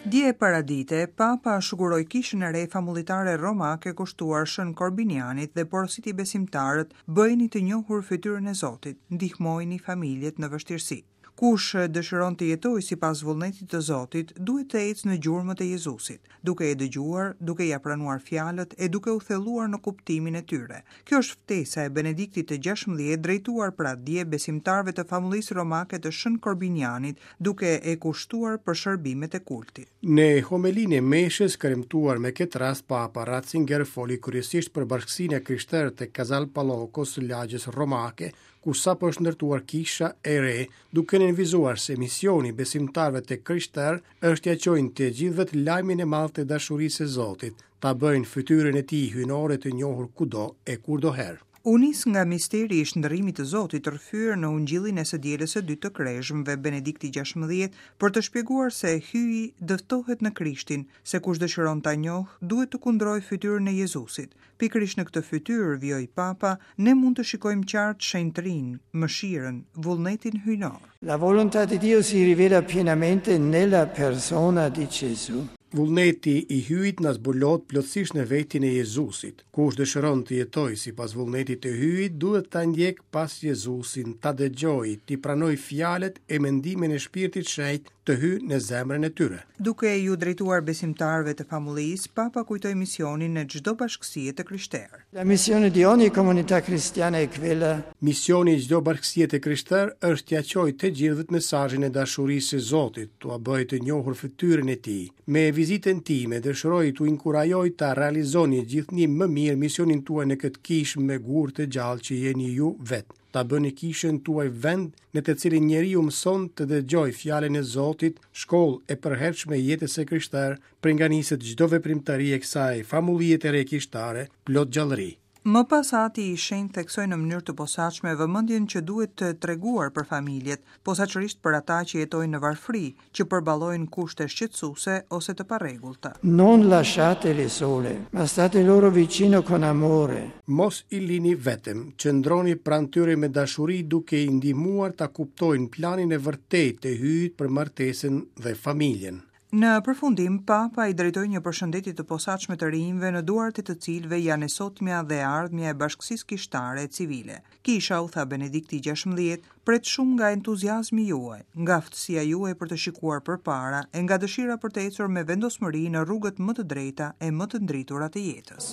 Dje paradite, Papa shuguroi kishën e re famullitare romake kushtuar Shën Korbinianit dhe porositi besimtarët, bëjeni të njohur fytyrën e Zotit, ndihmojini familjet në vështirësi. Kush dëshiron të jetojë sipas vullnetit të Zotit, duhet të ecë në gjurmët e Jezusit, duke e dëgjuar, duke ia pranuar fjalët e duke u thelluar në kuptimin e tyre. Kjo është ftesa e Benediktit të XVI drejtuar pra dje besimtarëve të famullisë romake të Shën Korbinianit, duke e kushtuar për shërbimet e kultit. Në homelinë e meshës kremtuar me këtë rast Papa Ratzinger foli kryesisht për bashkësinë e krishterë të Casal Palocos, lagjes romake, ku sapo është ndërtuar kisha e re, duke nënvizuar se misioni i besimtarëve të krishterë është t'ia çojnë të gjithëve lajmin e madh të dashurisë së Zotit, ta bëjnë fytyrën e tij hyjnore të njohur kudo e kurdoherë. U nis nga misteri i shndërrimit të Zotit rrëfyer në Ungjillin e së dielës së dytë të Kreshmëve Benedikti XVI për të shpjeguar se Hyji dëftohet në Krishtin, se kush dëshiron ta njohë, duhet të kundrojë fytyrën e Jezusit. Pikërisht në këtë fytyrë, vijoi Papa, ne mund të shikojmë qartë shenjtërinë, mëshirën, vullnetin hyjnor. La volontà di Dio si rivela pienamente nella persona di Gesù. Vullneti i Hyjit na zbulohet plotësisht në vetin e Jezusit. Kush dëshiron të jetojë sipas vullnetit të Hyjit, duhet ta ndjekë pas Jezusin, ta dëgjojë, t'i pranojë fjalët e mendimin e Shpirtit Shenjt të hyjë në zemrën e tyre. Duke iu drejtuar besimtarëve të famullisë, Papa kujtoi misionin e çdo bashkësie të krishterë. La missione di ogni comunità cristiana è quella. Misioni i çdo bashkësie të krishterë është t'ia çojë të gjithëve mesazhin e dashurisë së Zotit, t'ua bëjë të njohur fytyrën e Tij. Me vizitën time dëshiroj t'ju inkurajoj ta realizoni gjithnjë më mirë misionin tuaj në këtë kishë me gurë të gjallë që jeni ju vetë. Ta bëni kishën tuaj vend në të cilin njeriu mëson të dëgjojë fjalën e Zotit, shkollë e përhershme e jetës së krishterë, prej nga niset çdo veprimtari e kësaj famullie të re kishtare, plot gjallëri. Më pas Ati i Shenjtë theksoi në mënyrë të posaçme vëmendjen që duhet treguar për familjet, posaçërisht për ata që jetojnë në varfëri, që përballojnë kushte shqetësuese ose të parregullta. Non lasciatele sole, ma state loro vicino con amore. Mos i lini vetëm, qëndroni pranë tyre me dashuri duke i ndihmuar ta kuptojnë planin e vërtetë të Hyjit për martesën dhe familjen. Në përfundim, Papa i drejtoi një përshëndetje të posaçme të rinjve në duart e të cilëve janë e sotmja dhe e ardhmja e bashkësisë kishtare e civile. Kisha, u tha Benedikti XVI, pret shumë nga entuziazmi juaj, nga aftësia juaj për të shikuar përpara e nga dëshira për të ecur me vendosmëri në rrugët më të drejta e më të ndritura të jetës.